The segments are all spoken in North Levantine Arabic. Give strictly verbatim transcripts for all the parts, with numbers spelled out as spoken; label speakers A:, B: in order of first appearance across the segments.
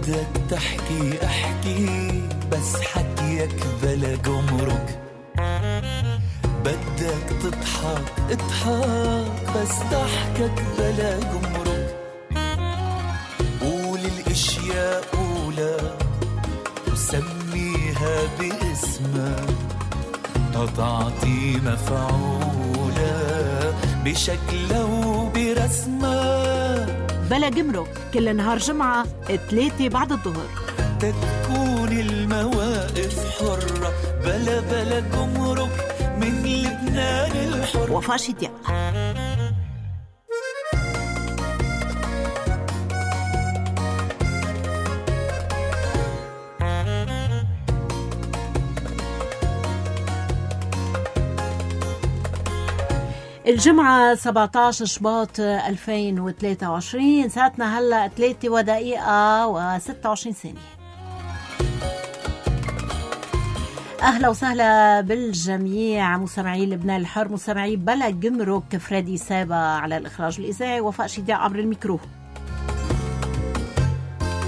A: بدك تحكي احكي بس حكيك بلا جمرك، بدك تضحك اضحك بس ضحكك بلا جمرك، قول الاشياء قولا وسميها باسمها تتعطي مفعولة بشكلها وبرسمها.
B: بلا جمرك كل نهار جمعة ثلاثة بعد الظهر،
A: تكون المواقف حرة بلا بلا جمرك من لبنان الحر.
B: وفاء شدياق. الجمعة سبعة عشر شباط ألفين وثلاثة وعشرين، ساعتنا هلأ ثلاثة ودقيقة وستة وعشرين ثانية. أهلا وسهلا بالجميع مستمعي لبنان الحر، مستمعي بلا جمرك. فريدي سابا على الإخراج الإذاعي، وفاء شدياق عبر الميكرو.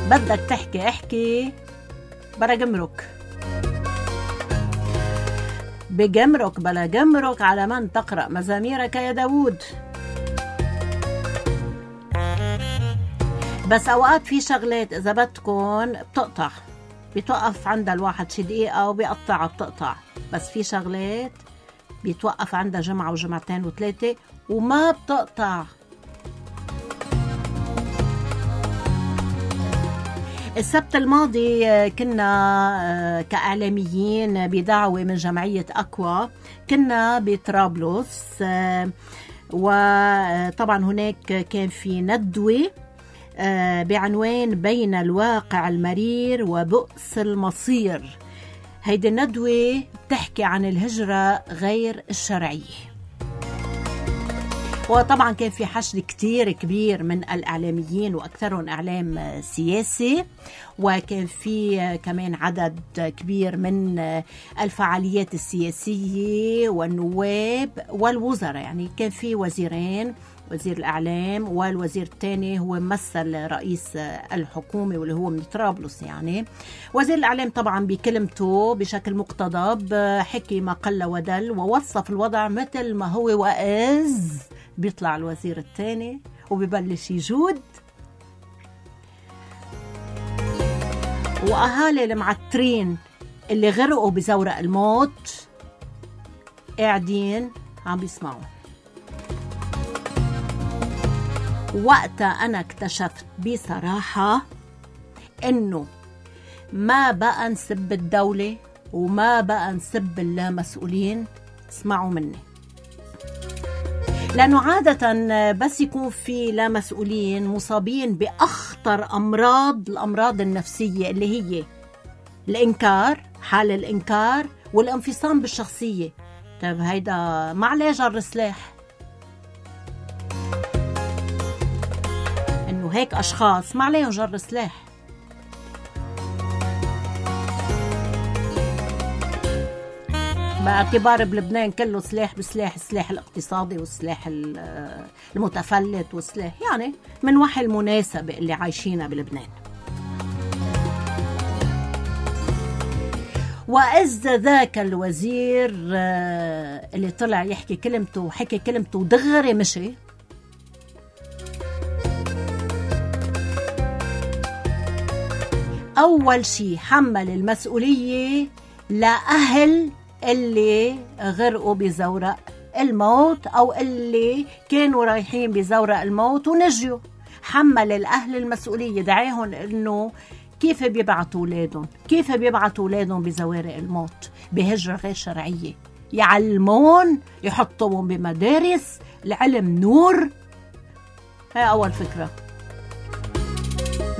B: بدك تحكي احكي بلا جمرك، بجمرك بلا جمرك على من تقرأ مزاميرك يا داود. بس أوقات في شغلات إذا بدكن بتقطع، بيتوقف عندها الواحد شي دقيقة وبيقطع بتقطع، بس في شغلات بيتوقف عندها جمعة وجمعتين وثلاثة وما بتقطع. السبت الماضي كنا كإعلاميين بدعوة من جمعية أكوا، كنا بطرابلس، وطبعا هناك كان في ندوة بعنوان بين الواقع المرير وبؤس المصير. هيدي الندوة بتحكي عن الهجرة غير الشرعية، وطبعا كان في حشد كتير كبير من الإعلاميين وأكثرهم إعلام سياسي، وكان في كمان عدد كبير من الفعاليات السياسية والنواب والوزراء. يعني كان في وزيرين، وزير الإعلام والوزير الثاني هو ممثل رئيس الحكومة واللي هو من طرابلس. يعني وزير الإعلام طبعا بكلمته بشكل مقتضب حكي ما قل ودل ووصف الوضع مثل ما هو، وإذ بيطلع الوزير الثاني وبيبلش يجود، وأهالي المعترين اللي غرقوا بزورق الموت قاعدين عم بيسمعوا. وقتها أنا اكتشفت بصراحة إنه ما بقى نسب الدولة وما بقى نسب اللامسؤولين. اسمعوا مني، لأنه عادة بس يكون في لامسؤولين مصابين بأخطر أمراض، الأمراض النفسية اللي هي الإنكار، حال الإنكار والانفصام بالشخصية. طيب هيدا ما عليه جر سلاح، إنه هيك أشخاص ما عليهم جر سلاح. باعتبار بلبنان كله سلاح بسلاح، السلاح الاقتصادي والسلاح المتفلت والسلاح يعني من وحي المناسبة اللي عايشينها بلبنان. وإذ ذاك الوزير اللي طلع يحكي كلمته وحكي كلمته دغري مشي، أول شي حمل المسؤولية لأهل اللي غرقوا بزورق الموت أو اللي كانوا رايحين بزورق الموت ونجوا. حمل الأهل المسؤولية، دعاهم إنه كيف بيبعتوا أولادهم، كيف بيبعتوا أولادهم بزوارق الموت بهجرة غير شرعية، يعلمون، يحطوهم بمدارس العلم نور. هاي أول فكرة.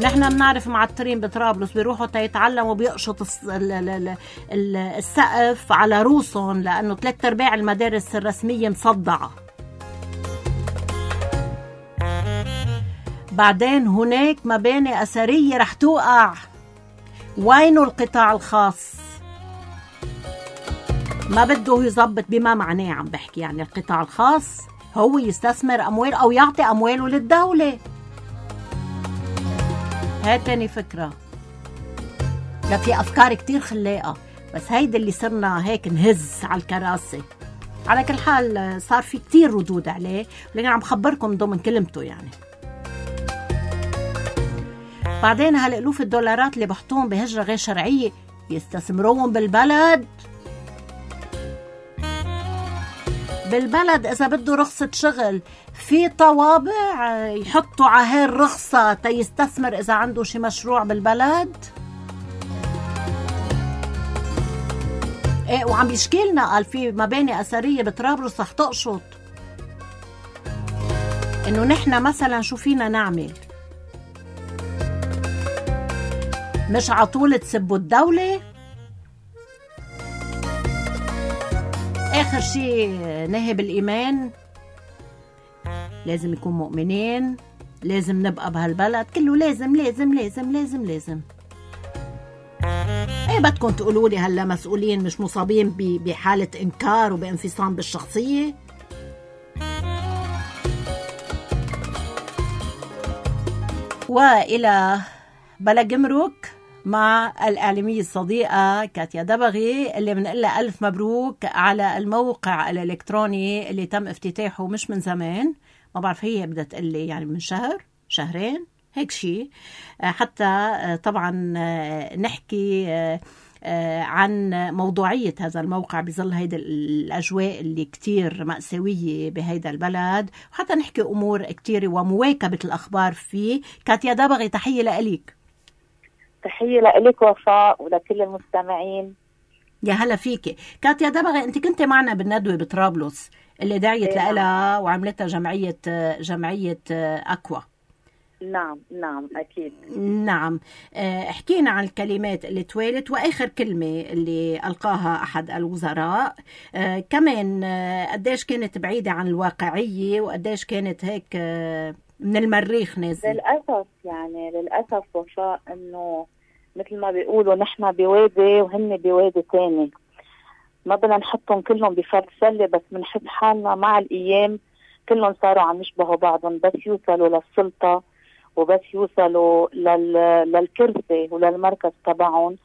B: نحن بنعرف معطرين بطرابلس بيروحوا تيتعلموا بيقشط السقف على روسهم لأنه ثلاث أرباع المدارس الرسمية مصدعة. بعدين هناك مباني أثرية رح توقع، وينه القطاع الخاص؟ ما بده يزبط بما معناه. عم بحكي يعني القطاع الخاص هو يستثمر أموال أو يعطي أمواله للدولة. هاي تاني فكرة. لا في أفكار كتير خلاقة، بس هيدا اللي صرنا هيك نهز على الكراسي. على كل حال صار في كتير ردود عليه، لكن عم خبركم ضمن كلمته يعني. بعدين هالألوف الدولارات اللي بحطوهم بهجرة غير شرعية يستثمروهم بالبلد. بالبلد إذا بده رخصة شغل في طوابع يحطوا على هاي الرخصة تيستثمر إذا عنده شي مشروع بالبلد. ايه وعم يشكيلنا قال في مباني أثرية بطرابلس رح تقشط، إنه نحنا مثلا شو فينا نعمل؟ مش عطول تسبوا الدولة. آخر شي نهب الإيمان، لازم يكون مؤمنين، لازم نبقى بهالبلد كله لازم لازم لازم لازم لازم. ايه بدكم تقولوا لي هلا مسؤولين مش مصابين بحالة إنكار وبانفصام بالشخصية؟ وإلى بلا جمرك مع الإعلامية الصديقة كاتيا دبغي اللي بنقول لها ألف مبروك على الموقع الإلكتروني اللي تم افتتاحه مش من زمان، ما بعرف هي بدها تقول لي يعني من شهر شهرين هيك شيء، حتى طبعا نحكي عن موضوعية هذا الموقع بظل هيدا الأجواء اللي كتير مأساوية بهيدا البلد، وحتى نحكي أمور كتير ومواكبة الأخبار فيه. كاتيا دبغي تحية لإليك.
C: تحية لإليك وفاء ولكل المستمعين.
B: يا هلا فيكي كاتيا دبغي، انت كنت معنا بالندوة بطرابلس اللي دعيت
C: إيه
B: لها وعملتها جمعية جمعية أكوا.
C: نعم نعم أكيد.
B: نعم، احكينا عن الكلمات اللي توالت وآخر كلمة اللي ألقاها أحد الوزراء، اه كمان اه قديش كانت بعيدة عن الواقعية وقديش كانت هيك اه من المريخ نازل.
C: للأسف يعني للأسف وفاء إنه مثل ما بيقولوا نحن بوادي وهن بوادي تاني، ما بدنا نحطهم كلهم بفرد سلة، بس بنحس حالنا مع الأيام كلهم صاروا عم يشبهوا بعضهم، بس يوصلوا للسلطة وبس يوصلوا لل... للكرسي وللمركز تبعهم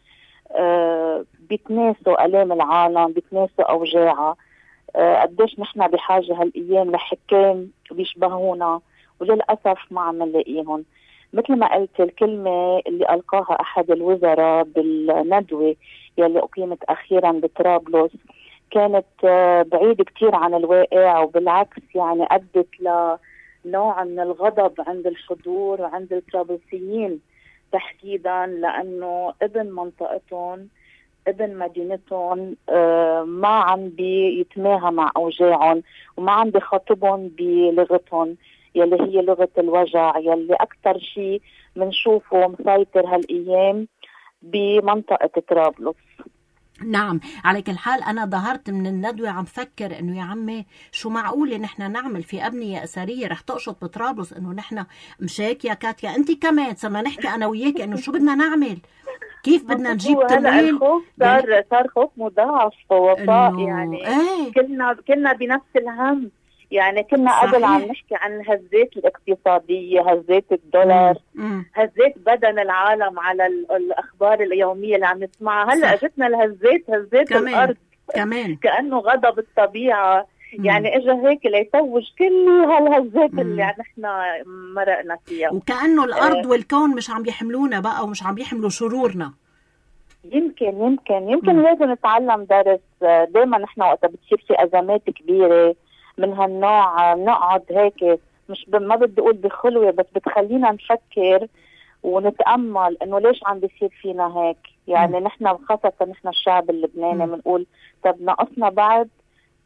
C: آه بيتناسوا ألام العالم، بيتناسوا أوجاعها. آه قديش نحن بحاجة هالأيام لحكام بيشبهونا، وللأسف ما عم نلاقيهم. مثل ما قلت الكلمة اللي ألقاها أحد الوزراء بالندوة يلي أقيمت أخيرا بطرابلس كانت بعيد كتير عن الواقع، وبالعكس يعني أدت لنوع من الغضب عند الحضور وعند الطرابلسيين تحديدا، لأنه ابن منطقتهم ابن مدينتهم ما عم بيتماهى مع أوجاعهم وما عم بيخاطبهم بلغتهم يلي هي لغة الوجع، يلي أكتر شيء منشوفه مسيطر هالأيام بمنطقة طرابلس.
B: نعم، على كل حال أنا ظهرت من الندوة عم فكر إنه يا عمي شو معقولة نحن نعمل في أبنية أثرية رح تقشط بطرابلس، إنه نحن مشاك يا كاتيا أنت كمان صرنا نحكي أنا وياك إنه شو بدنا نعمل، كيف بدنا نجيب تمويل.
C: الخوف صار يعني صار خوف مضاعف وفاء، يعني ايه؟ كلنا كلنا بنفس الهم، يعني كنا صحيح. قبل عم نحكي عن الهزات الاقتصادية، هزات الدولار، مم. هزات بدن العالم على الأخبار اليومية اللي عم نسمعها، هلأ اجتنا الهزات هزات كمان. الأرض كمان كأنه غضب الطبيعة، مم. يعني اجا هيك ليتوج كل هالهزات مم. اللي نحن مرقنا فيها،
B: وكأنه الأرض آه. والكون مش عم يحملونا بقى ومش عم يحملوا شرورنا.
C: يمكن يمكن يمكن مم. لازم نتعلم درس. دايما نحن وقت بتصير في أزمات كبيرة من هالنوع نقعد هيك مش ب... ما بدي اقول بخلوه، بس بتخلينا نفكر ونتامل انه ليش عم بيصير فينا هيك. يعني نحن خاصه نحن الشعب اللبناني بنقول طب ناقصنا بعد،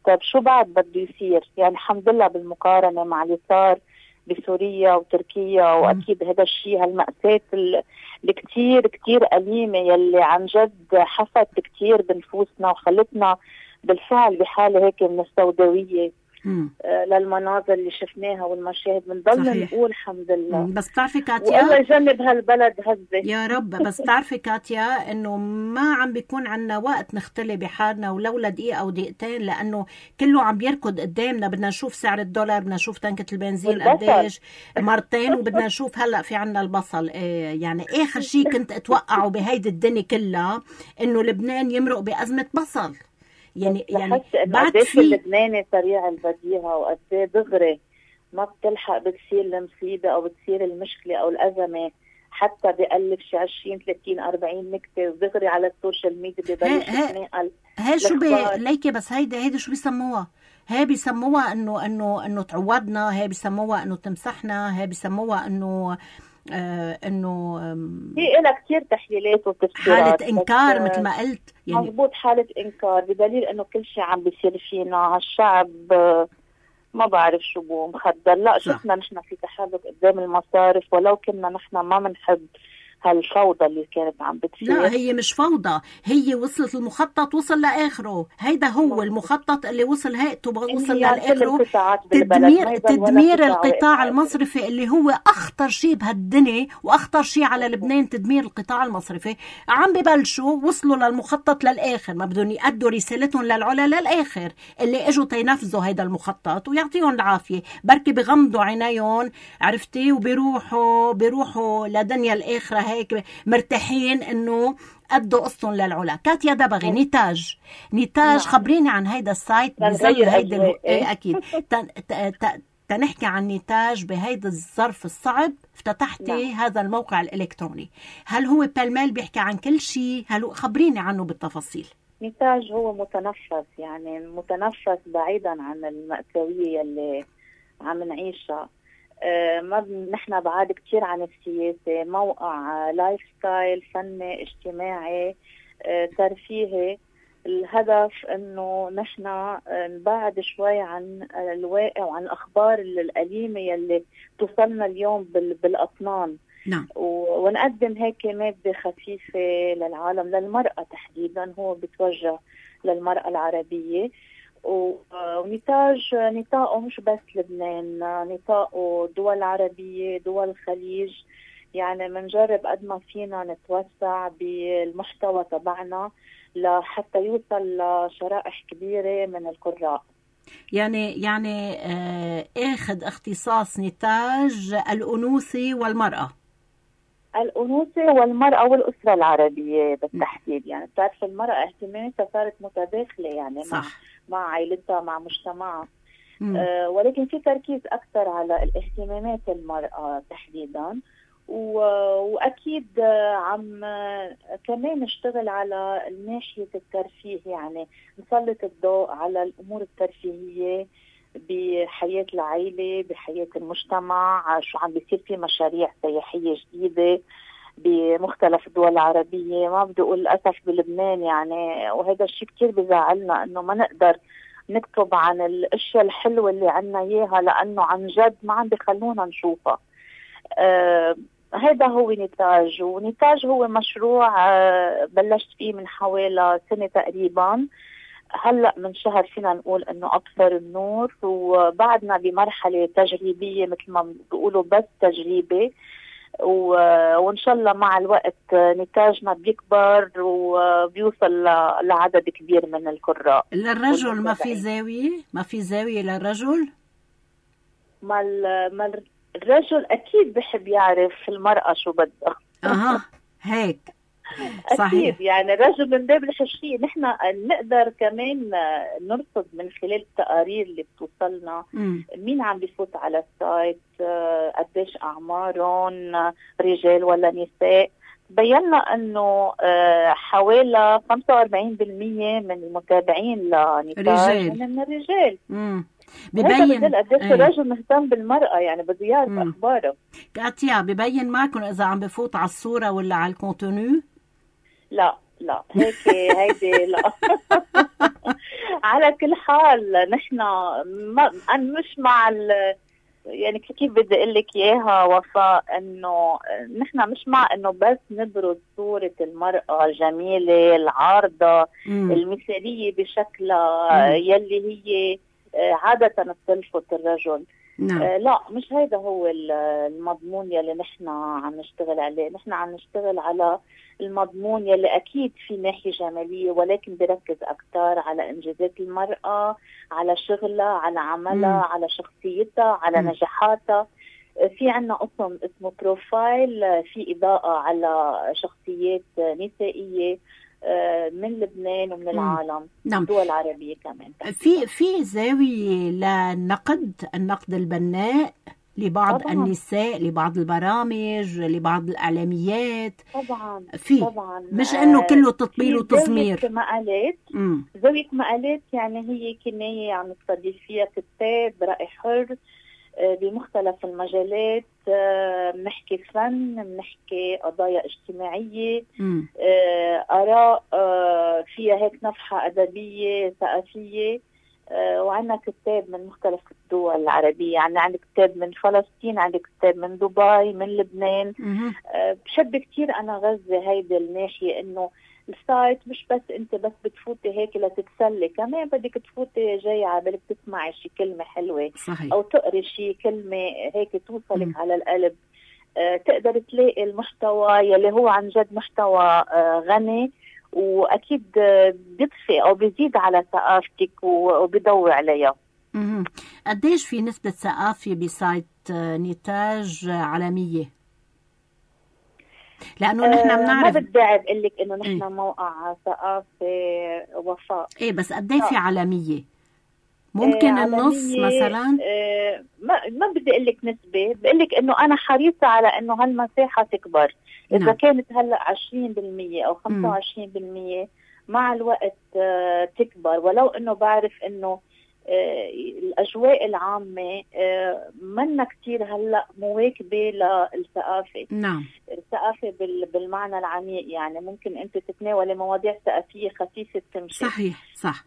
C: طب شو بعد بده يصير؟ يعني الحمد لله بالمقارنه مع اللي صار بسوريا وتركيا، واكيد هذا الشيء هالمأساة اللي كتير كتير أليمة يلي عن جد حفت كتير بنفوسنا وخلتنا بالفعل بحاله هيك من السوداويه. آه للمناظر اللي شفناها والمشاهد، بنضل نقول الحمد لله.
B: بس بتعرفي كاتيا،
C: والله يجنب هالبلد هزة
B: يا رب. بس بتعرفي كاتيا انه ما عم بيكون عنا وقت نختلي بحالنا ولولا دقيقة او دقيقتين، لانه كله عم بيركض قدامنا. بدنا نشوف سعر الدولار، بدنا نشوف تنكة البنزين قديش مرتين، وبدنا نشوف هلا في عنا البصل. إيه يعني اخر شيء كنت اتوقعه بهيدي الدنيا كلها انه لبنان يمرق بأزمة بصل. يعني يعني
C: بعد في اللبناني سريع البديهة وقد دغري ما بتلحق بتصير المصيبة او بتصير المشكلة او الأزمة، حتى بيقلب شي عشرين ثلاثين أربعين نكتة ودغري على السوشيال ميديا ببلش يتنقل.
B: هي شو بي ليكي بس هيدا هيدا شو بيسموها؟ هي بيسموها انه انه انه تعودنا، هي بيسموها انه تمسحنا، هي بيسموها انه آه انه
C: في لها كثير تحليلات وتفسيرات.
B: حالة انكار مثل ما قلت،
C: يعني مضبوط، حالة انكار، بدليل انه كل شيء عم بيصير فينا هالشعب ما بعرف شو بو مخدر. لا شفنا نحن في تحرك قدام المصارف، ولو كنا نحن ما بنحب هالفوضى اللي كانت عم بتصير.
B: لا هي مش فوضى، هي وصلت المخطط وصل لاخره. هيدا هو المخطط اللي وصل هيئته وصل لاخره. تدمير تدمير القطاع المصرفي اللي هو اخطر شيء بهالدنيا واخطر شيء على لبنان، تدمير القطاع المصرفي. عم ببلشوا وصلوا للمخطط للاخر، ما بدهم يأدوا رسالتهم للعلا للاخر. اللي اجوا تينفذوا هيدا المخطط ويعطيهم العافيه، بركي بغمضوا عينيهم عرفتي وبيروحوا بيروحوا لدنيا الاخره هيك مرتاحين انه أدوا قصتهم للعلا. كاتيا دبغي نتاج نتاج خبريني عن هيدا السايت بزي هيدا ايه اكيد تنحكي عن نتاج بهيدا الظرف الصعب. افتتحتي نعم. هذا الموقع الالكتروني، هل هو بالمال بيحكي عن كل شيء؟ هل خبريني عنه بالتفاصيل.
C: نتاج هو متنفس، يعني متنفس بعيدا عن المأساوية اللي عم نعيشها. آه ما نحن بعاد كتير عن السياسة، موقع آه لايف ستايل فني اجتماعي آه ترفيهي. الهدف انه نحن آه نبعد شوي عن آه الواقع وعن الاخبار الأليمة يلي توصلنا اليوم بالاطنان.
B: نعم.
C: ونقدم هيك مادة خفيفة للعالم، للمرأة تحديدا، هو بتوجه للمرأة العربية. ونتاج نطاقه مش بس لبنان، نطاقه دول عربية، دول الخليج. يعني منجرب قد ما فينا نتوسع بالمحتوى تبعنا لحتى يوصل لشرائح كبيرة من القراء.
B: يعني يعني آه اخذ اختصاص نتاج الأنوثة والمرأة.
C: الأنوثة والمرأة والأسرة العربية بالتحديد. يعني بتعرف المرأة اهتماماتها صارت متداخلة، يعني
B: صح.
C: مع مع عائلتها مع مجتمعها. آه ولكن في تركيز أكثر على الاهتمامات المرأة تحديدا. وأكيد عم كمان نشتغل على ناحية الترفيه، يعني نسلط الضوء على الأمور الترفيهية بحياة العائلة، بحياة المجتمع. شو عم بيصير في مشاريع سياحية جديدة بمختلف الدول العربية. ما بدي أقول للأسف بلبنان يعني، وهذا الشيء كتير بزعلنا إنه ما نقدر نكتب عن الأشياء الحلوة اللي عنا إياها، لأنه عن جد ما عم بيخلونا نشوفها. آه هذا هو نتاج. ونتاج هو مشروع آه بلشت فيه من حوالي سنة تقريبا. هلأ من شهر فينا نقول انه ابصر النور، وبعدنا بمرحلة تجريبية مثل ما بيقولوا، بس تجريبي. وان شاء الله مع الوقت نتاجنا بيكبر وبيوصل لعدد كبير من القراء.
B: للرجل ما في زاوية؟ ما في زاوية للرجل؟
C: ما ما الرجل اكيد بحب يعرف المرأة شو بدها.
B: اها هيك
C: صحيح. أكيد يعني الرجل من باب الحشية. نحن نقدر كمان نرصد من خلال التقارير اللي بتوصلنا م. مين عم بيفوت على السايت، قديش أعمارهم، رجال ولا نساء. بينا أنه حوالي خمسة وأربعين بالمية من المتابعين لنتاج من الرجال.
B: م. ببين
C: قديش الرجل مهتم بالمرأة، يعني بده يعرف أخباره.
B: كاتيا ببين معكم إذا عم بفوت على الصورة ولا على الكونتونو؟
C: لا لا هيك هيدي لا. على كل حال نحن ما أنا مش مع ال يعني كيف بدي أقول لك إياها وفاء، إنه نحن مش مع إنه بس نبرز صورة المرأة الجميلة العارضة المثالية بشكلها يلي هي عادة بتلفت الرجل.
B: نعم.
C: آه لا، مش هيدا هو المضمون يلي نحن عم نشتغل عليه. نحن عم نشتغل على المضمون يلي أكيد في ناحية جمالية، ولكن بركز أكتر على إنجازات المرأة، على شغلها، على عملها،
B: مم.
C: على شخصيتها، على
B: مم.
C: نجاحاتها. في عنا قسم اسمه بروفايل، في إضاءة على شخصيات نسائية من لبنان ومن العالم،
B: نعم.
C: الدول العربية كمان.
B: في في زاوية للنقد، النقد البناء لبعض
C: طبعاً.
B: النساء، لبعض البرامج، لبعض الإعلاميات.
C: طبعا
B: في
C: طبعا
B: مش إنه كله تطبيل
C: في
B: وتصمير.
C: زاوية مقالات.
B: مم.
C: زاوية مقالات يعني هي كناية عم نستضيف فيها كتاب رأي حر بمختلف المجالات، بنحكي فن، بنحكي قضايا اجتماعية،
B: مم.
C: آراء فيها هيك نفحة أدبية ثقافية. وعندنا كتاب من مختلف الدول العربية، يعني عندي كتاب من فلسطين، عندي كتاب من دبي، من لبنان.
B: مم.
C: بحب كتير أنا غزة هيدا الناحية، إنه السايت مش بس انت بس بتفوتي هيك لتتسلي، كمان بدك تفوتي جاي عبالك تسمعي شي كلمة حلوة.
B: صحيح.
C: او تقري شي كلمة هيك توصلك
B: م.
C: على القلب. آه تقدر تلاقي المحتوى يلي هو عن جد محتوى آه غني، واكيد آه بيضفي او بيزيد على ثقافتك وبيضوي عليها.
B: مم. قديش في نسبة ثقافة بسايت نتاج عالمية؟ لأنه نحن بنعرف.
C: ما بدي أعرف أقول لك إنه نحن
B: ايه؟
C: موقع ثقافة وفاء.
B: إيه بس قديه في عالمية؟ ممكن
C: آه
B: النص مثلا؟
C: آه ما ما بدي أقول لك نسبة، بقول لك إنه أنا حريصة على إنه هالمساحة تكبر. إذا
B: نعم.
C: كانت هلا عشرين بالمية أو خمسة وعشرين بالمية مع الوقت آه تكبر، ولو إنه بعرف إنه آه الأجواء العامة آه منا كتير هلا مواكبة للثقافة.
B: نعم.
C: الثقافة بالمعنى العميق، يعني ممكن أنت تتناولي مواضيع ثقافية خفيفة تمشي.
B: صحيح صح.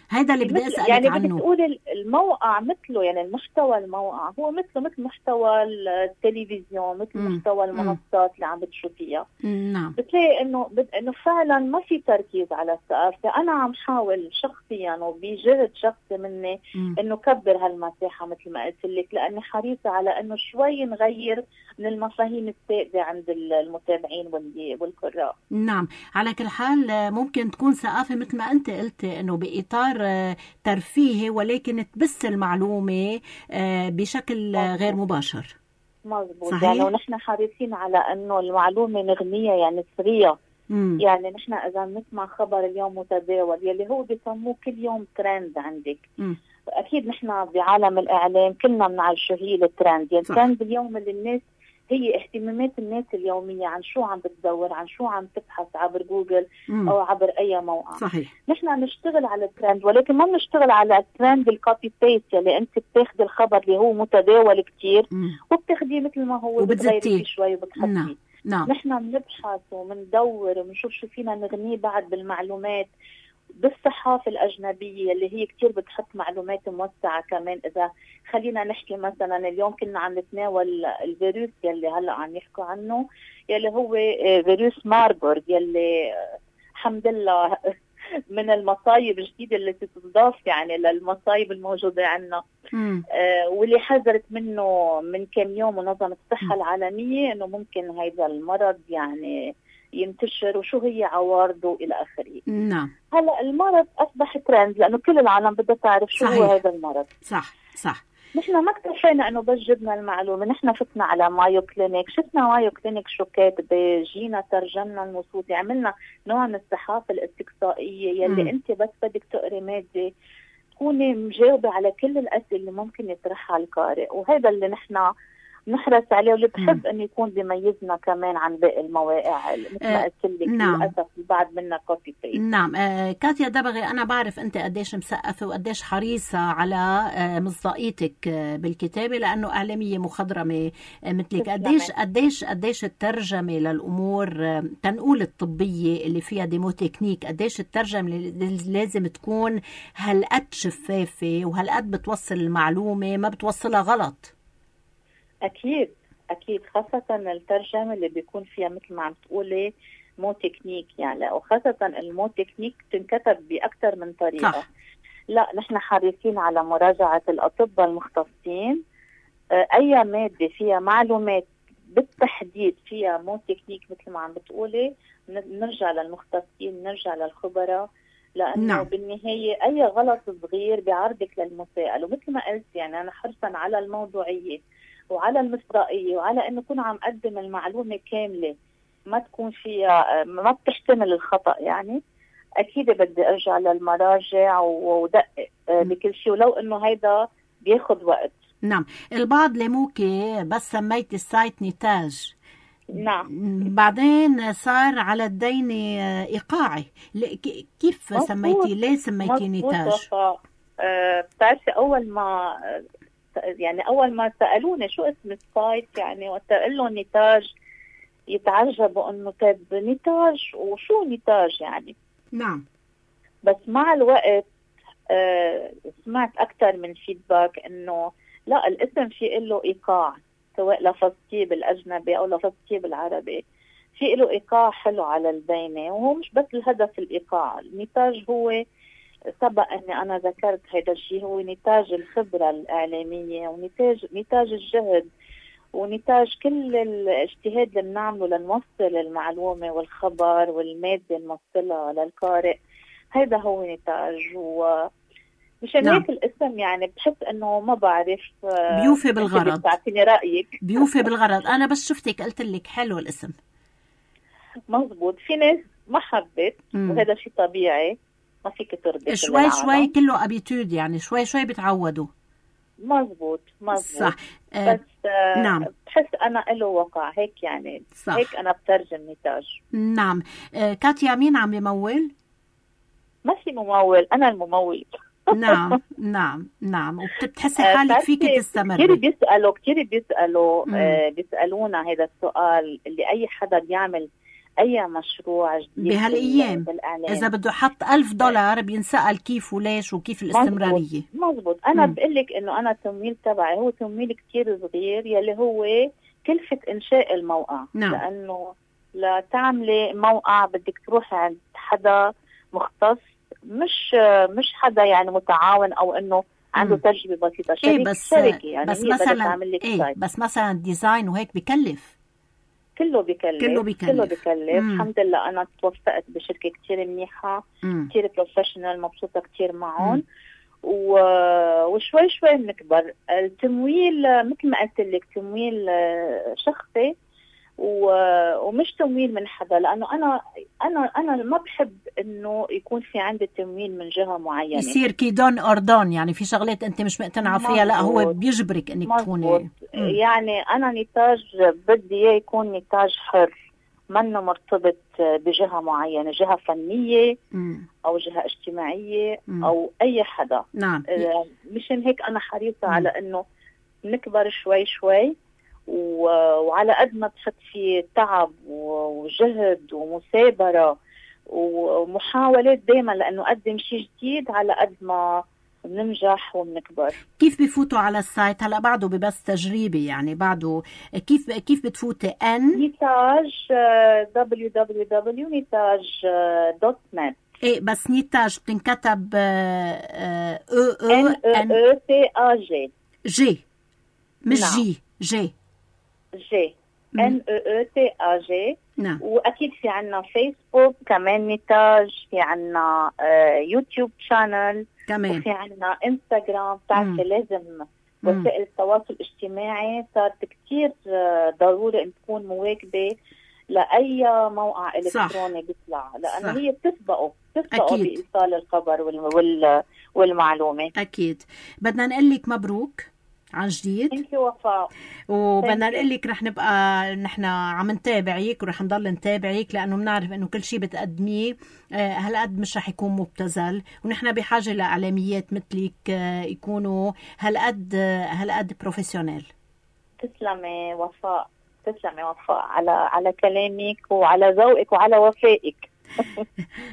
B: هذا اللي بدي أسألك
C: يعني
B: عنه.
C: بدك تقول الموقع مثله، يعني المحتوى الموقع هو مثله مثل محتوى التلفزيون، مثل
B: مم.
C: محتوى المنصات اللي عم بتشوفيها.
B: نعم.
C: بتلاقي انه بد... انه فعلا ما في تركيز على الثقافة. انا عم حاول شخصيا وبجهد شخصي مني
B: مم.
C: انه كبر هالمساحة مثل ما قلت لك، لاني حريصة على انه شوي نغير من المفاهيم السائدة عند المتابعين والقراء.
B: نعم. على كل حال ممكن تكون ثقافة مثل ما أنت قلت إنه بإطار ترفيهي، ولكن تبث المعلومة بشكل مزبوط. غير مباشر.
C: مظبوط. يعني ونحن حريصين على انه المعلومة نغنية، يعني سرية. مم. يعني نحن اذا نسمع خبر اليوم متداول يلي هو بيسموه كل يوم ترند عندك. مم. اكيد نحن بعالم الاعلام كلنا بنعرف شو هي الترند. يعني الترند اليوم اللي الناس هي اهتمامات الناس اليومية، عن شو عم بتدور، عن شو عم تبحث عبر جوجل مم. أو عبر أي موقع.
B: صحيح.
C: نحن نشتغل على الترند، ولكن ما نشتغل على الترند الكوبي بيست، يلي أنت بتاخذ الخبر اللي هو متداول كتير وبتاخذيه مثل ما هو وبتغيري فيه شوي وبتحطيه.
B: نعم. نعم.
C: نحن بنبحث ومندور ومنشوف شو فينا نغنيه بعد بالمعلومات. بالصحافة الأجنبية اللي هي كتير بتحط معلومات موسعة كمان. إذا خلينا نحكي مثلا اليوم كنا عم نتناول الفيروس يلي هلأ عم يحكوا عنه، يلي هو فيروس ماربورغ، يلي الحمد لله من المصايب الجديدة اللي تتضاف يعني للمصايب الموجودة عنا. آه واللي حذرت منه من كم يوم منظمة الصحة م. العالمية إنه ممكن هذا المرض يعني ينتشر وشو هي عوارضه إلى آخره.
B: نعم.
C: هلا المرض أصبح ترند لأنه كل العالم بدها تعرف شو صحيح. هو هذا المرض.
B: صح صح.
C: نحن ما اكتفينا إنه بس جبنا المعلومة، نحن فتنا على مايو كلينيك، شفنا مايو كلينيك شو كاتبة، جينا ترجمنا النصوص، عملنا نوع من الصحافة الاستقصائية يلي م. أنت بس بدك تقري مادة تكوني مجاوبة على كل الأسئلة اللي ممكن يطرحها القارئ، وهذا اللي نحن نحرص عليه واللي بحب أن يكون بيميزنا كمان عن باقي المواقع مثل ما قلت لك.
B: نعم.
C: للأسف بعد منا كوبي بيست.
B: نعم. آه كاتيا دبغي، أنا بعرف أنت قديش مسقفة وقديش حريصة على آه مصداقيتك آه بالكتابة، لأنه إعلامية مخضرمة آه مثلك. قديش قديش قديش الترجمة للأمور آه تنقول الطبية اللي فيها ديمو تكنيك، قديش الترجمة اللي لازم تكون هالقد شفافة وهالقد بتوصل المعلومة ما بتوصلها غلط.
C: أكيد أكيد، خاصة الترجمة اللي بيكون فيها مثل ما عم تقولي مو تكنيك، يعني وخاصة المو تكنيك تنكتب بأكثر من طريقة.
B: صح.
C: لا، نحن حريصين على مراجعة الأطباء المختصين. أي مادة فيها معلومات بالتحديد فيها مو تكنيك مثل ما عم بتقولي، نرجع للمختصين، نرجع للخبراء، لأنه
B: نعم.
C: بالنهاية أي غلط صغير بيعرضك للمسائل. ومثل ما قلت يعني أنا حرصا على الموضوعية وعلى المصداقية وعلى أنه كون عم أقدم المعلومة كاملة ما تكون فيها، ما بتحتمل الخطأ. يعني أكيد بدي أرجع للمراجع ودقق بكل شيء، ولو أنه هيدا بياخد وقت.
B: نعم. البعض لموكي بس سميت السايت نتاج،
C: نعم،
B: بعدين صار على الدين إيقاعي. كيف
C: مزبوط.
B: سميتي؟ ليه سميتي نتاج؟
C: أه بتعرفي أول ما يعني أول ما سألوني شو اسم السايت، يعني وقت قال لهم نتاج يتعجبوا إنه طيب نتاج وشو نتاج يعني.
B: نعم.
C: بس مع الوقت أه سمعت أكثر من فيدباك إنه لا، الاسم في له إيقاع، سواء لفظتيه بالأجنبي أو لفظتيه بالعربي، في له إيقاع حلو على البينة. وهو مش بس الهدف الإيقاع، النتاج هو سبق أني أنا ذكرت هذا الشيء، هو نتاج الخبرة الإعلامية ونتاج نتاج الجهد ونتاج كل الاجتهاد اللي بنعمله لنوصل المعلومة والخبر والمادة نوصلها للقارئ. هذا هو نتاج. و مشان
B: نعم.
C: هيك الاسم يعني بحس انه ما بعرف
B: بيوفي بالغرض.
C: بتعطيني رايك.
B: بيوفي بالغرض. انا بس شفتك قلت لك حلو الاسم.
C: مزبوط. في ناس ما حبت وهذا شيء طبيعي، ما فيك ترضي
B: شوي شوي كله ابيتود، يعني شوي شوي بتعودوا.
C: مزبوط مزبوط
B: صح.
C: أه بس أه
B: نعم.
C: بحس انا له وقع هيك يعني. صح. هيك انا بترجم نتاج.
B: نعم. أه كاتيا، مين عم يمول؟
C: ما في ممول، انا الممول.
B: نعم نعم نعم. وبتحسي حالك فيك تستمري.
C: كتير بيسألوا كتير بيسألوا آه بيسألونا هذا السؤال اللي أي حدا بيعمل أي مشروع جديد
B: بهالأيام. إذا بده حط ألف دولار بينسأل كيف وليش وكيف الاستمرارية.
C: مزبوط. أنا بقولك إنه أنا التمويل تبعي هو تمويل كتير صغير يلي هو كلفة إنشاء الموقع.
B: نعم.
C: لأنه لتعملي موقع بدك تروحي عند حدا مختص، مش مش حدا يعني متعاون او انه عنده تجربه بسيطه. شركه.
B: إيه بس
C: شركه يعني
B: بس
C: هي
B: مثلا
C: إيه
B: بس مثلا ديزاين وهيك بكلف.
C: كله بكلف
B: كله بكلف,
C: كله بكلف. الحمد لله انا توفقت بشركه كتير منيحه، كتير بروفيشنال، مبسوطه كتير معهم. و... وشوي شوي بنكبر. التمويل مثل ما قلت لك تمويل شخصي و... ومش تمويل من حدا، لانه انا انا انا ما بحب انه يكون في عندي تمويل من جهه معينه،
B: يصير كيدون اردون. يعني في شغلات انت مش مقتنعه فيها، لا هو بيجبرك انك تكوني.
C: يعني انا نتاج بدي اياه يكون نتاج حر، منه مرتبط بجهه معينه، جهه فنيه مم. او جهه اجتماعيه مم. او اي حدا.
B: نعم.
C: مشان هيك انا حريصه مم. على انه نكبر شوي شوي، وعلى قد ما بحط فيه تعب وجهد ومثابرة ومحاولات دايما لأنه أقدم شيء جديد، على قد ما بننجح وبنكبر.
B: كيف بفوتوا على السايت؟ هلا بعده ببس تجريبي يعني بعده. كيف كيف بتفوتي؟ ان
C: نتاج دبليو دبليو دبليو نتاج دوت نت.
B: ايه بس نتاج بتنكتب اه او
C: ان او تي ا جي
B: جي مش نعم. جي جي
C: جي ان او او تي ا جي.
B: نعم.
C: واكيد في عنا فيسبوك كمان نتاج، في عنا آه يوتيوب شانل
B: كمان،
C: وفي عنا انستغرام. بتعرفي لازم وسائل التواصل الاجتماعي صارت كتير آه ضروري ان تكون مواكبه لاي موقع الكتروني بيطلع، لانه هي بتسبقه بتسبقه بايصال الخبر وال والمعلومه.
B: اكيد. بدنا نقول لك مبروك عن جديد.
C: انت وفاء.
B: وبدنا نقول لك رح نبقى نحن عم نتابعيك ورح نضل نتابعيك، لانه بنعرف انه كل شيء بتقدميه هالقد مش رح يكون مبتذل، ونحن بحاجه لاعلاميات مثلك يكونوا هالقد هالقد بروفيشنال.
C: تسلمي وفاء، تسلمي وفاء على على كلامك وعلى ذوقك وعلى وفائك.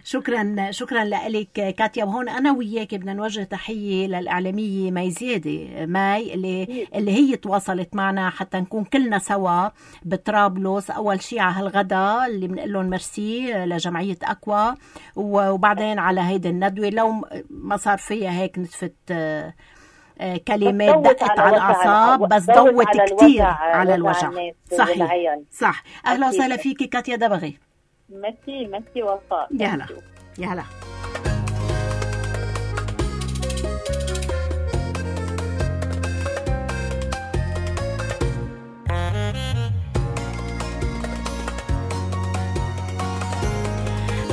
B: شكرا شكرا لك كاتيا. وهون انا وياك بدنا نوجه تحيه للاعلاميه مي زياده ماي اللي اللي هي تواصلت معنا حتى نكون كلنا سوا بطرابلس. اول شيء على هالغدا اللي بنقول لهم ميرسي لجمعيه اكوا، وبعدين على هيدي الندوه لو ما صار فيها هيك نتفت كلمات دقت على الاعصاب، بس ضوت كتير على الوجع. صحيح صح. اهلا وسهلا فيكي كاتيا دبغي.
C: ميرسي ميرسي وفاء.
B: يا هلا يا هلا.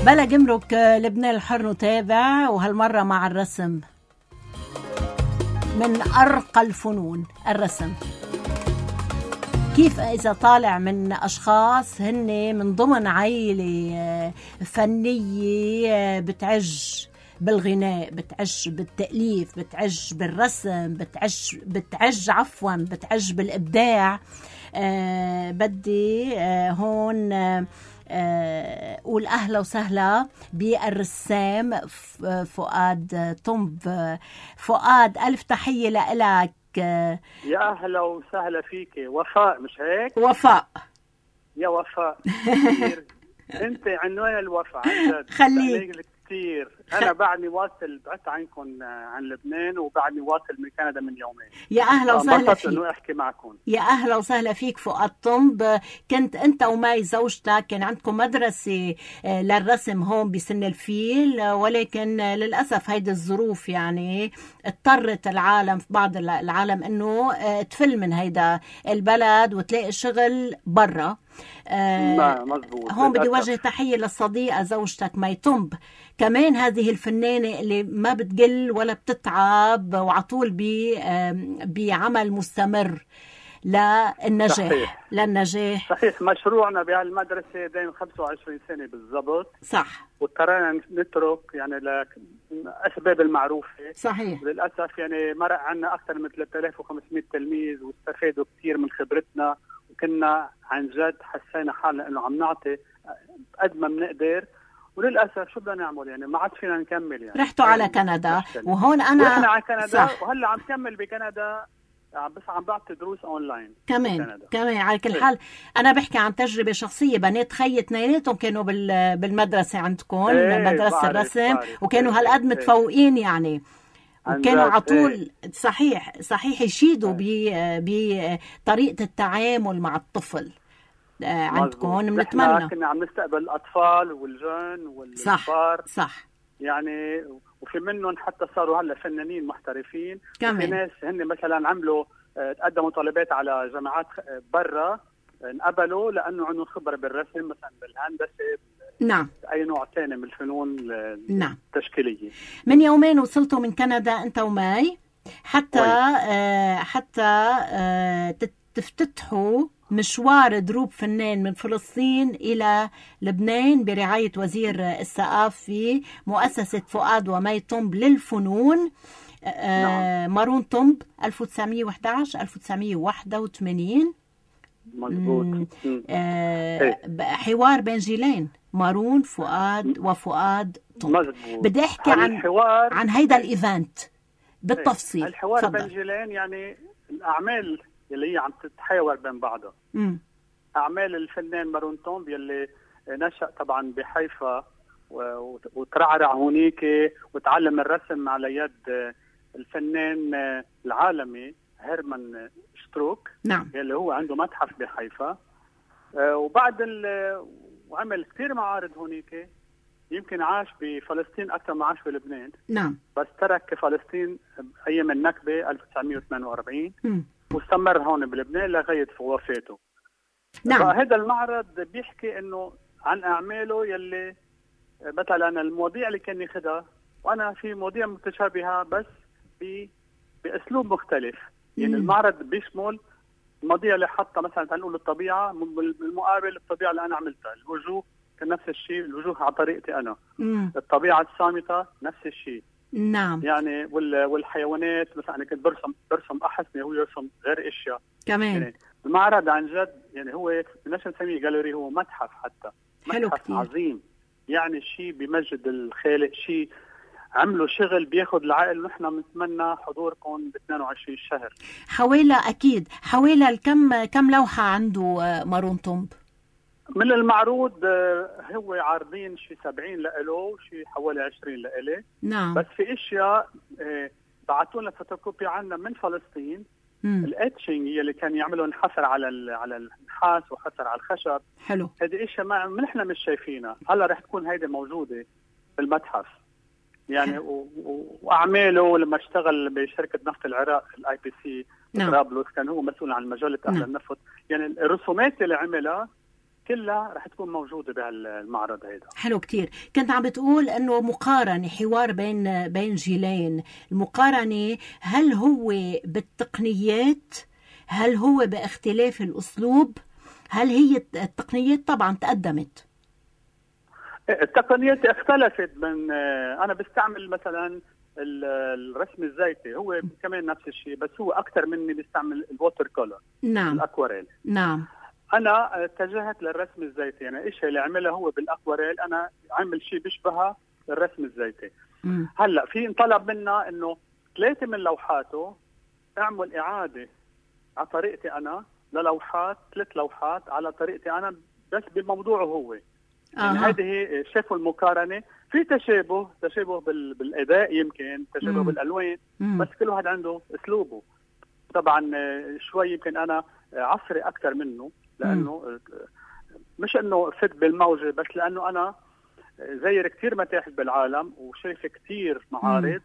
B: بلا جمرك لبنان الحر نتابع، وهالمرة مع الرسم من أرقى الفنون. الرسم كيف إذا طالع من أشخاص هن من ضمن عائلة فنية بتعج بالغناء، بتعج بالتأليف، بتعج بالرسم، بتعج بتعج عفوا بتعج بالإبداع. آه بدي آه هون آه قول أهلا وسهلا بالرسام فؤاد طنب. فؤاد ألف تحية لإلك.
D: يا أهلا وسهلا فيك وفاء، مش هيك؟
B: وفاء
D: يا وفاء كثير. أنت عنوان الوفاء عن جد.
B: خليك
D: كثير. أنا بعدني واصل، بعدت عنكم عن لبنان وبعدني واصل من كندا من يومين.
B: يا أهلا وسهلا فيك.
D: إنه أحكي معكم.
B: يا أهلا وسهلا فيك فؤاد طنب. كنت أنت وماي زوجتك كان عندكم مدرسة للرسم هون بسن الفيل، ولكن للأسف هيدي الظروف يعني اضطرت العالم في بعض العالم إنه تفل من هيدا البلد وتلاقي شغل برا.
D: آه مزبوط.
B: هون بدي وجه تحية للصديقة زوجتك ماي طنب، كمان هذه الفنانة اللي ما بتقل ولا بتتعب وعطول بعمل مستمر للنجاح.
D: صحيح.
B: للنجاح
D: صحيح. مشروعنا بهالمدرسة دايم خمسة وعشرين سنة بالضبط.
B: صح.
D: واضطرينا نترك يعني لأسباب المعروفة.
B: صحيح.
D: للأسف يعني مرق عنا أكثر من ثلاثة آلاف وخمسمئة تلميذ واستفادوا كثير من خبرتنا، وكنا عن جد حسينا حالنا إنه عم نعطي قد ما بنقدر، وللأسف شو بدنا نعمل يعني ما عاد فينا نكمل. يعني
B: رحتوا على كندا وهون أنا
D: رحنا على كندا. صح. وهلا عم كمل بكندا، بس عم بعطي دروس اونلاين
B: كمان كمان. على كل حال انا بحكي عن تجربه شخصيه. بنات خيي اثنيناتهم كانوا بالمدرسه عندكم. ايه مدرسه الرسم، وكانوا هالقد متفوقين يعني، وكانوا على طول. صحيح صحيح يشيدوا بطريقه التعامل مع الطفل عندكم. بنتمنى.
D: كنا عم نستقبل الاطفال والجن والكبار.
B: صح صح
D: يعني، وفي منهم حتى صاروا هلا فنانين محترفين.
B: كمان.
D: وفي ناس هن مثلا عملوا تقدموا طلبات على جامعات برا، انقبلوا لانه عندهم خبره بالرسم مثلا بالهندسه.
B: نعم.
D: اي نوع ثاني من الفنون.
B: نعم.
D: التشكيليه.
B: من يومين وصلتوا من كندا انت وماي حتى آه حتى آه تفتتحوا مشوار دروب فنان من فلسطين إلى لبنان برعاية وزير الثقافة في مؤسسة فؤاد ومي طنب للفنون. نعم. مارون طنب ألف وتسعمئة وإحدى عشر ألف وتسعمئة وواحد وثمانين.
D: مزبوط.
B: آه حوار بين جيلين، مارون فؤاد وفؤاد طنب.
D: مزبوط.
B: بدي أحكي عن
D: الحوار
B: عن هيدا الإيفنت بالتفصيل.
D: الحوار بين جيلين يعني الأعمال اللي هي عم تتحاور بين بعضها.
B: مم.
D: أعمال الفنان مارون طنب يلي نشأ طبعا بحيفا وترعرع هونيك وتعلم الرسم على يد الفنان العالمي هيرمان شتروك.
B: نعم.
D: يلي هو عنده متحف بحيفا. وبعد وعمل كثير معارض هونيك. يمكن عاش بفلسطين أكثر ما عاش بلبنان.
B: نعم.
D: بس ترك فلسطين أيام النكبة ألف وتسعمئة وثمانية وأربعين.
B: م.
D: واستمر هون بلبنان لغاية وفاته.
B: نعم.
D: فهذا المعرض بيحكي إنه عن أعماله يلي مثلا المواضيع اللي كان ياخدها، وأنا في مواضيع متشابهة بس بأسلوب مختلف. يعني
B: مم.
D: المعرض بيشمل المواضيع اللي حطها مثلا تنقول الطبيعة، بالمقابل الطبيعة اللي أنا عملتها، الوجوه كان نفس الشيء، الوجوه على طريقتي أنا.
B: مم.
D: الطبيعة الصامتة نفس الشيء.
B: نعم.
D: يعني والحيوانات مثلا أنا كنت برسم برسم أحسن، هو يرسم غير أشياء
B: كمان.
D: يعني المعرض عن جد يعني هو بدناش نسميه جاليري، هو متحف حتى.
B: حلو
D: متحف
B: كتير.
D: عظيم يعني شيء بمجد الخالق، شيء عملوا شغل بياخد العقل. ونحن بنتمنى حضوركم ب اثنين وعشرين شهر.
B: حوالي أكيد حوالي كم كم لوحة عنده مارون تومب؟
D: من المعروض هو عارضين شي سبعين لإله، شي حوالي عشرين لإلي.
B: نعم.
D: بس في اشياء بعثوا لنا فوتوكوبي عنا من فلسطين. الاتشنج اللي كان يعملوا حفر على على النحاس وحفر على الخشب.
B: حلو.
D: هذه اشياء ما نحن مش شايفينها، هلا رح تكون هيدي موجوده في المتحف يعني. واعماله لما اشتغل بشركه نفط العراق الاي بي سي طرابلس كان هو مسؤول عن مجله اهل النفط. يعني الرسومات اللي عملها كلها رح تكون موجودة بهالمعرض هيدا.
B: حلو كتير. كنت عم بتقول انه مقارنة، حوار بين بين جيلين. المقارنة هل هو بالتقنيات، هل هو باختلاف الاسلوب، هل هي التقنيات طبعا تقدمت؟
D: التقنيات اختلفت. من انا بستعمل مثلا الرسم الزيتي، هو كمان نفس الشيء بس هو اكثر مني بيستعمل الووتر كولر.
B: نعم.
D: الاكواريل.
B: نعم.
D: انا اتجهت للرسم الزيتي، يعني الشيء اللي عمله هو بالاكواريل انا عمل شيء بيشبهها الرسم الزيتي. م. هلا في انطلب منا انه ثلاثه من لوحاته اعمل اعاده على طريقتي انا للوحات، ثلاث لوحات على طريقتي انا بس بموضوعه هو. آه. يعني هذه هي شافوا المقارنه، في تشابه تشابه بالاداء، يمكن تشابه م. بالالوان، م. بس كل واحد عنده اسلوبه. طبعا شوي يمكن انا عصري اكثر منه، لانه مش انه فت بالموجه، بس لانه انا زير كثير متاحف بالعالم وشايف كثير معارض،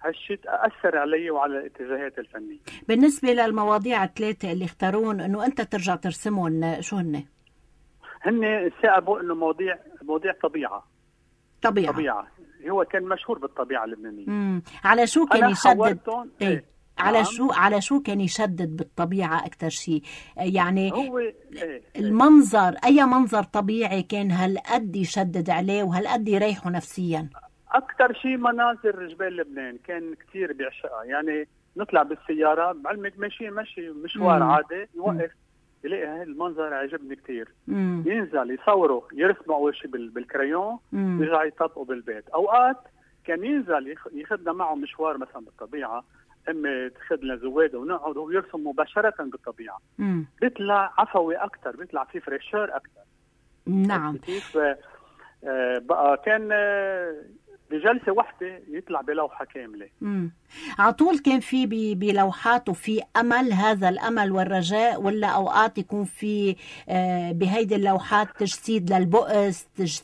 D: هالشيء اثر علي وعلى الاتجاهات الفنيه.
B: بالنسبه للمواضيع الثلاثه اللي اختارون انه انت ترجع ترسمهم، شو هن؟
D: هن ثاقبوا انه مواضيع مواضيع طبيعه.
B: طبيعه
D: طبيعه هو كان مشهور بالطبيعه اللبنانيه.
B: امم على شو كان يشدد؟
D: ايه, إيه.
B: على نعم. شو على شو كان يشدد بالطبيعة أكتر شيء؟ يعني
D: هو إيه
B: المنظر، أي منظر طبيعي كان هالقد يشدد عليه وهالقد يريحه نفسيا؟
D: أكتر شيء مناظر جبال لبنان كان كتير بيعشقها. يعني نطلع بالسيارة بعلمك ماشي ماشي مشوار مم. عادي، يوقف يلاقي هاي المنظر عجبني كتير، مم. ينزل يصوره، يرسمه أول شيء بالكريون، يرجع يطبقه بالبيت. أوقات كان ينزل ياخذنا معه مشوار مثلا بالطبيعة، اما تاخذ لنا زواده ونقعد ويرسم مباشره بالطبيعه. مم. بيطلع عفوي اكثر، بيطلع فيه فريشر اكثر.
B: نعم.
D: كيف آه بقى كان آه بجلسه واحده يطلع بلوحه كامله.
B: امم على طول كان في بلوحاته في امل، هذا الامل والرجاء، ولا اوقات يكون في آه بهيدي اللوحات تجسيد للبؤس، تج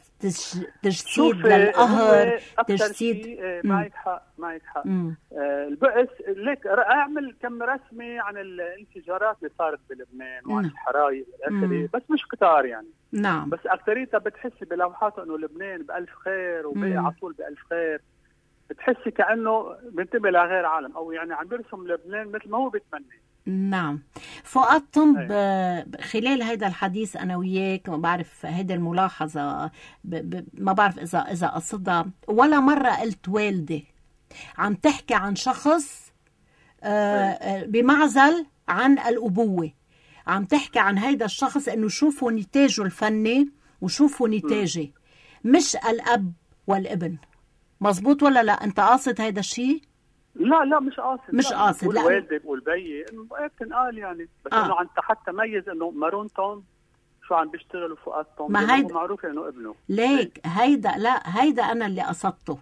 B: تجسيد للقهر، تجسيد؟
D: معك حق معك حق. آه البؤس ليك اعمل كم رسمه عن الانفجارات اللي صارت بلبنان وعن الحرايق والاخره، بس مش كتار يعني.
B: نعم.
D: بس اكثريتها بتحسي بلوحاته انه لبنان بألف خير وباقي على طول بألف خير، بتحسي كأنه بينتبه لغير عالم، او يعني عم بيرسم لبنان مثل ما هو بيتمنى.
B: نعم. فؤاد طنب، خلال هذا الحديث انا وياك ما بعرف هيدي الملاحظه ب... ب... ما بعرف اذا اذا قصدها ولا مره قلت والدي، عم تحكي عن شخص آه بمعزل عن الابوه، عم تحكي عن هيدا الشخص انه شوفوا نتاجه الفني وشوفوا نتاجي، مش الاب والابن. مزبوط ولا لا؟ انت قاصد هيدا الشيء؟
D: لا لا مش قاصد،
B: مش قاصد. لا
D: والدي بقول بيي بتنقال يعني، بس آه. انه عن حتى ميز انه مارون تومب شو عم بيشتغل وفؤاد تومب،
B: ما هيدا
D: معروف انه ابنه.
B: ليك هيدا لا هيدا انا اللي قصدته.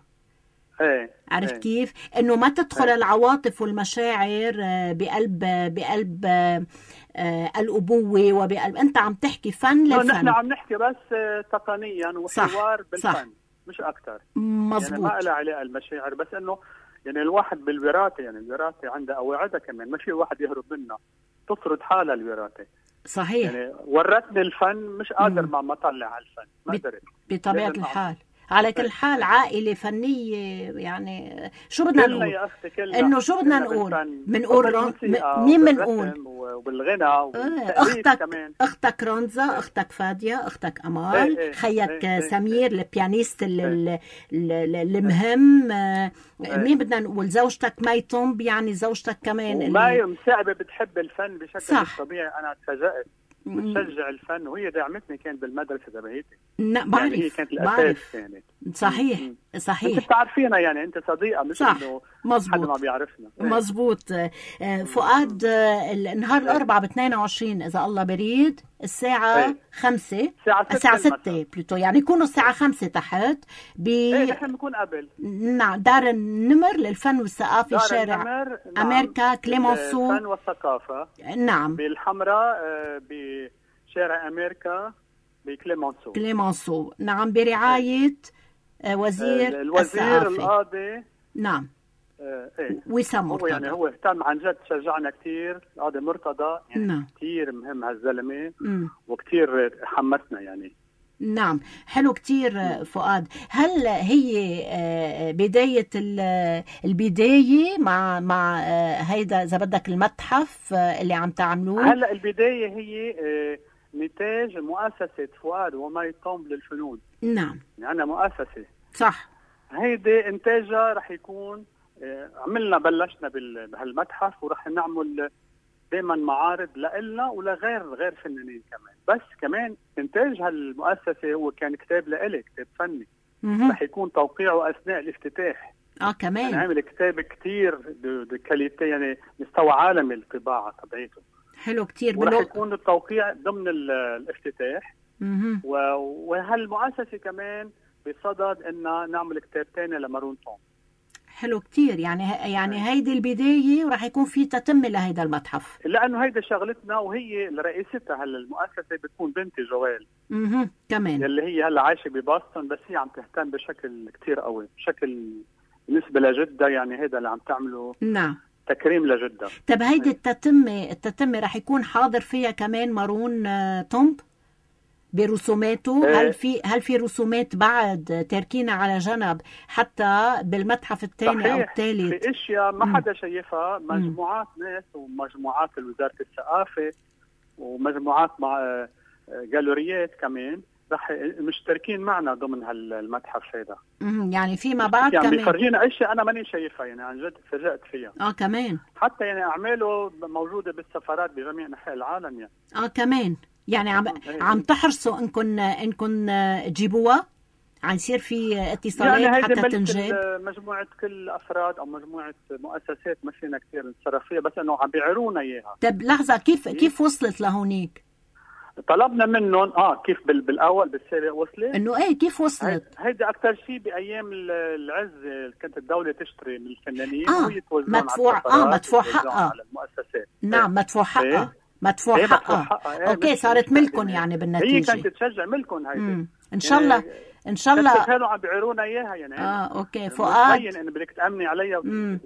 D: ايه
B: عرفت
D: ايه.
B: كيف؟ انه ما تدخل ايه. العواطف والمشاعر بقلب بقلب آه الابوه وبقلب، انت عم تحكي فن للفن.
D: نحن عم نحكي بس تقنيا وحوار بالفن، صح. مش اكثر.
B: مظبوط.
D: يعني ما لها علاقه المشاعر، بس انه يعني الواحد بالوراثه، يعني الوراثه عندها قواعدها كمان، ما في واحد يهرب منها، تفرض حالها الوراثه.
B: صحيح.
D: يعني ورتني الفن، مش قادر ما مطلع على الفن، ما قدرت
B: بطبيعه الحال. على كل حال عائله فنيه، يعني شو بدنا نقول؟
D: يا اختي كلنا
B: انه شو بدنا نقول؟ بنقول مين بنقول؟
D: وبالغنى
B: اختك
D: كمان.
B: اختك رونزا، اختك فاديه، اختك امال، ايه خيك ايه سمير ايه البيانيست ايه المهم ايه مين بدنا نقول؟ زوجتك مي طنب، يعني زوجتك كمان
D: مي مساعبه بتحب الفن بشكل طبيعي. انا تفاجأت بتشجع الفن، وهي دعمتني كان بالمدرسه تبعيتي.
B: لا بعرف
D: يعني هي كانت
B: بعرف
D: الاساس يعني.
B: صحيح
D: م- م.
B: صحيح
D: انت بتعرفينا يعني، انت صديقه مش
B: صح
D: انه
B: مزبوط
D: حدا ما بيعرفنا.
B: مزبوط. آه، فؤاد، آه، النهار الأربعاء ب اثنين وعشرين إذا الله بريد الساعة
D: ايه.
B: خمسة
D: الساعة
B: الساعة
D: ستة
B: ستة بلوتو، يعني يكونوا الساعة خمسة تحت ب
D: ايه نحن بنكون قبل.
B: نعم دار النمر للفن والثقافة،
D: دار
B: شارع
D: النمر، نعم.
B: أمريكا كليمونسو
D: الفن والثقافة
B: نعم
D: بالحمراء، آه، بشارع أمريكا بكليمونسو.
B: كليمونسو نعم، برعاية آه، وزير
D: آه، الوزير
B: الثقافة.
D: القاضي
B: نعم
D: آه، ايه
B: وسام
D: هو
B: مرتضى.
D: يعني هو اهتم عن جد، شجعنا كثير القاضي مرتضى يعني.
B: نعم.
D: كثير مهم هالزلمة
B: مم.
D: وكثير حمسنا يعني.
B: نعم حلو كتير. آه، فؤاد، هل هي آه، بداية ال- البداية مع مع آه، هيدا إذا بدك المتحف آه، اللي عم تعملوه؟
D: هلا البداية هي آه، نتاج مؤسسة فؤاد ومي طومب للفنون.
B: نعم
D: يعني عندنا مؤسسة،
B: صح.
D: هيدي انتاجها رح يكون آه، عملنا بلشنا بال- بهالمتحف، ورح نعمل دائما معارض لإلنا ولغير غير فنانين كمان. بس كمان انتاج هالمؤسسه هو كان كتاب لإلي، كتاب فني
B: مهم.
D: رح يكون توقيعه اثناء الافتتاح.
B: اه
D: يعني
B: كمان
D: عامل كتاب كتير بكاليتي، يعني مستوى عالمي الطباعه تبعيته،
B: حلو كتير.
D: ورح
B: بلو...
D: يكون التوقيع ضمن ال- الافتتاح.
B: مهم.
D: و- وهالمؤسسه كمان بصدد ان نعمل كتاب ثاني لمارون توم.
B: حلو كتير. يعني يعني هيدي البداية ورح يكون في تتمة لهيدا المتحف.
D: لانه هيدا شغلتنا، وهي رئيستها هلا المؤسسه بتكون بنتي جوال،
B: اها كمان.
D: يلي هي هلا عايشه ببoston، بس هي عم تهتم بشكل كتير قوي، بشكل بالنسبه لجده. يعني هيدا اللي عم تعمله
B: نعم.
D: تكريم لجده.
B: طب هيدي التتمة التتمة رح يكون حاضر فيها كمان مارون آه، تومب برسوماته؟
D: إيه.
B: هل في هل في رسومات بعد تركينا على جنب حتى بالمتحف الثاني او
D: صحيح،
B: الثالث؟
D: في اشياء ما
B: مم.
D: حدا شايفها، مجموعات ناس ومجموعات وزاره الثقافه ومجموعات مع آه، جالوريات كمان رح مشتركين معنا ضمن هالمتحف هذا.
B: مم، يعني فيما بعد
D: يعني
B: كمان.
D: بيفرجينا اشياء انا ماني شايفها، يعني عن جد تفاجأت فيها.
B: اه كمان.
D: حتى يعني اعماله موجوده بالسفارات بجميع انحاء العالم يعني.
B: اه كمان. يعني عم
D: إيه.
B: عم تحرصوا انكم انكم تجيبوها؟ عم يصير في اتصالات
D: يعني هيدي
B: حتى
D: ملك
B: تنجاب؟
D: ال- مجموعه كل افراد او مجموعه مؤسسات ما فينا كثير نتصرف فيها، بس انه عم بيعيرونا اياها.
B: طب لحظة، كيف كيف وصلت لهونيك؟
D: طلبنا منهم اه كيف بال- بالاول بالسابق وصلت.
B: انه ايه كيف وصلت؟
D: هيدي اكثر شيء بايام ال- العز كانت الدوله تشتري من الفنانين
B: آه،
D: وهي توزعهم
B: مدفوع-
D: على السفارات
B: آه، مدفوع
D: وتوزعهم
B: حقها.
D: على المؤسسات.
B: نعم مدفوع حقها.
D: إيه.
B: مدفوع
D: إيه، مدفوع
B: حقها.
D: حقها. إيه،
B: اوكي
D: مش-
B: صارت
D: مش
B: ملكن
D: تقديم.
B: يعني
D: هي
B: بالنتيجة.
D: كانت تشجع ملكن هيدي.
B: مم. ان شاء الله ان شاء الله.
D: كانوا عم بيعيرونا اياها يعني.
B: اه اوكي فؤاد،
D: مبين انه بدك تامني عليها
B: مم.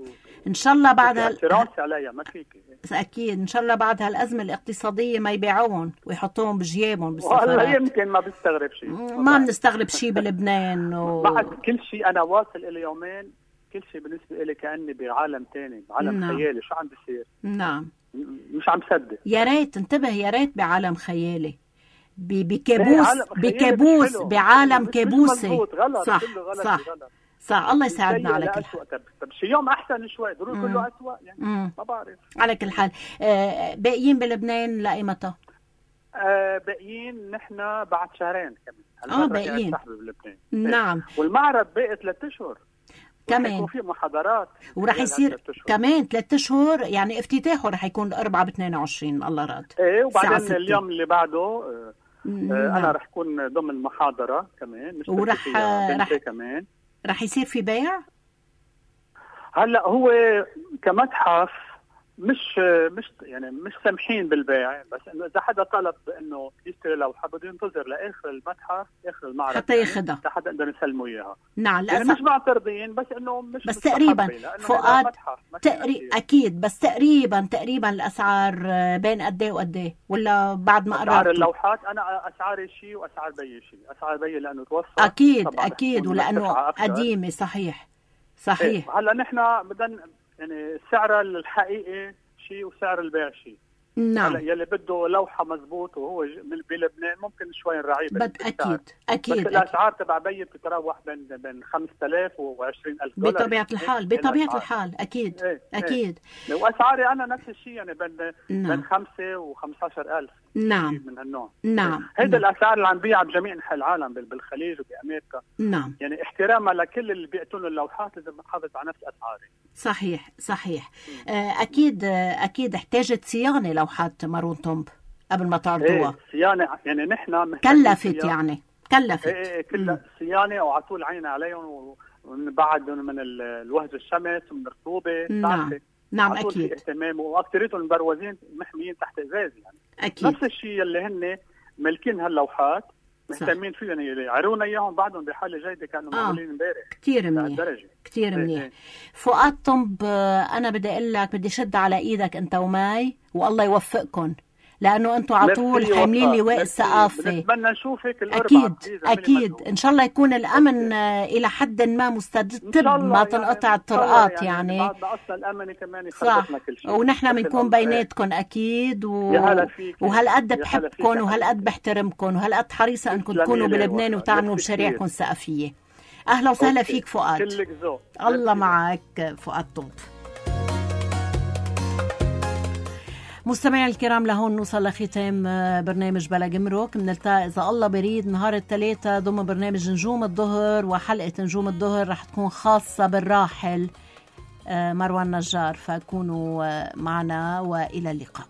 B: ان شاء الله بعد هال...
D: اعتراض عليها ما فيك.
B: اكيد ان شاء الله بعد هالازمه الاقتصاديه ما يبيعوهم ويحطوهم بجيابهم
D: والله
B: بالسفارات.
D: يمكن ما بستغرب شيء.
B: ما بنستغرب شيء بلبنان و...
D: بعد كل شيء انا واصل الي يومين، كل شيء بالنسبه لي كاني بعالم ثاني، بعالم
B: نعم.
D: خيالي. شو عم بيصير؟
B: نعم
D: م- مش عم صدق.
B: يا ريت انتبه، يا ريت بعالم خيالي، ب-
D: إيه،
B: بكابوس
D: عالم خيالي مش
B: بكابوس
D: حلو.
B: بعالم
D: مش- مش
B: كابوسي.
D: مزبوط، غلط.
B: صح
D: كله غلط
B: صح
D: غلط.
B: صح. الله يساعدنا
D: سيء
B: على كل
D: لأسوأ.
B: حال.
D: طب, طب شي يوم احسن شوي، ضروري
B: مم.
D: كله اسوء يعني.
B: مم.
D: ما بعرف.
B: على كل حال آه، باقيين بلبنان لأيمتى؟
D: آه باقيين نحن بعد شهرين كمان.
B: آه،
D: هالمرة
B: باقيين.
D: قاعد صاحبي بلبنان.
B: نعم
D: والمعرض باقي ثلاث اشهر
B: كمان.
D: يكون في محاضرات
B: ورح
D: خلال
B: يصير
D: هالثلاث أشهر.
B: كمان ثلاثة اشهر، يعني افتتاحه رح يكون الاربعاء ب اثنين وعشرين الله راد.
D: ايه،
B: الساعة
D: وبعدين
B: ستة.
D: اليوم اللي بعده آه
B: نعم.
D: آه انا رح كون ضمن محاضره كمان، مش
B: ورح-
D: فيها بنتي
B: رح-
D: كمان.
B: رح يصير في بيع؟
D: هلا هو كمتحف مش مش يعني مش سامحين بالبيع، بس انه اذا حدا طلب انه يشتري لوحه بده ينتظر لاخر المتحف، اخر المعرض
B: حتى
D: يعني،
B: ياخدها.
D: حتى نقدر نسلمه اياها.
B: نعم
D: يعني
B: لا
D: مش معترضين، بس انه مش
B: بس
D: مستحبة،
B: تقريبا
D: لأنه
B: فؤاد
D: هذا متحف، ما فينا
B: تقري...
D: كتير.
B: اكيد، بس تقريبا تقريبا الاسعار آه، بين قد ايه وقد ايه، ولا بعد ما
D: اسعار
B: قررتوا؟
D: اللوحات انا اسعاري شيء واسعار بيي شيء. اسعار بيي لانه توفى
B: اكيد
D: طبعاً رح
B: اكيد،
D: تكون
B: ولانه
D: مرتفعة أكثر.
B: قديمه. صحيح صحيح.
D: إيه. هلا نحن بدنا يعني السعر الحقيقي شيء وسعر البيع شيء.
B: نعم
D: هلا يلي بده لوحه مزبوط وهو ج- من بلبنان ممكن شوي نراعيه
B: بد
D: بالسعر.
B: اكيد
D: بس
B: اكيد, أكيد.
D: الاسعار تبع بيي بتتراوح بين بين خمسة آلاف وعشرين ألف دولار.
B: بطبيعه الحال
D: هيك
B: بطبيعه
D: الأسعار.
B: الحال اكيد
D: إيه. إيه.
B: اكيد.
D: واسعاري انا نفس الشيء، يعني بين
B: نعم.
D: بين خمسة وخمسة عشر ألف
B: نعم
D: من هالنوع.
B: نعم
D: هيدا
B: نعم.
D: الاسعار اللي عم بيع بجميع انحاء العالم بالخليج وبامريكا.
B: نعم
D: يعني احتراما لكل اللي بيقتلوا اللوحات لازم نحافظ على نفس اسعاري.
B: صحيح صحيح. اكيد اكيد احتاجت صيانه لوحات مارون تومب قبل ما تعرضوها.
D: ايه صيانه، يعني نحن
B: كلفت يعني كلفت
D: ايه, إيه كلها صيانه وعلى طول عين عليهم ونبعدهم من الوهج الشمس ومن الرطوبه.
B: نعم نعم اكيد
D: اهتمام، واكثريتهم مبروزين محميين تحت ازاز يعني.
B: اكيد
D: نفس الشيء اللي هن ملكين هاللوحات مهتمين فيه، يعني يعرونا اياهم بعدهم بحاله جيده كانوا معمولين امبارح.
B: آه. كثير منيح كثير منيح. ايه. فؤاد طنب، انا بدي اقول لك بدي شد على ايدك انت وماي والله يوفقكم، لانه انتم على طول حاملين لواء الثقافه.
D: بنتمنى نشوفك الاربعاء.
B: اكيد اكيد ان شاء الله يكون الامن الى حد ما مستتب، ما تنقطع الطرقات يعني, يعني.
D: بعد اصلا الامن كمان يخلصنا كل شيء،
B: ونحن بنكون بيناتكم اكيد و... وهالقد بحبكم وهالقد بحترمكم وهالقد حريصه انكم تكونوا بلبنان وتعملوا مشاريعكم الثقافيه. اهلا وسهلا فيك فؤاد.
D: كلك ذوق.
B: الله معك فؤاد طنب. مستمعي الكرام، لهون نوصل لختام برنامج بلا جمرك. بنلتقي إذا الله بريد نهار الثلاثاء ضمن برنامج نجوم الظهر، وحلقة نجوم الظهر رح تكون خاصة بالراحل مروان نجار، فكونوا معنا وإلى اللقاء.